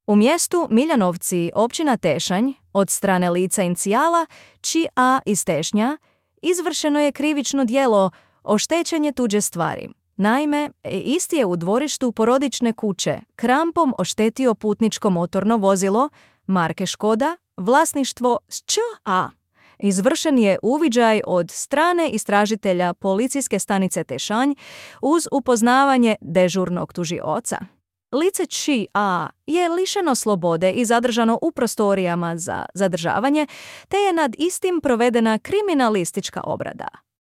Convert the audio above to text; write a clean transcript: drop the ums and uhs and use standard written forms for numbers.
U mjestu Miljanovci, općina Tešanj, od strane lica inicijala Či A iz Tešnja, izvršeno je krivično djelo oštećenje tuđe stvari. Naime, isti je u dvorištu porodične kuće krampom oštetio putničko motorno vozilo marke Škoda, vlasništvo ŠČA. Izvršen je uviđaj od strane istražitelja policijske stanice Tešanj uz upoznavanje dežurnog tužioca. Lice Či A je lišeno slobode i zadržano u prostorijama za zadržavanje, te je nad istim provedena kriminalistička obrada.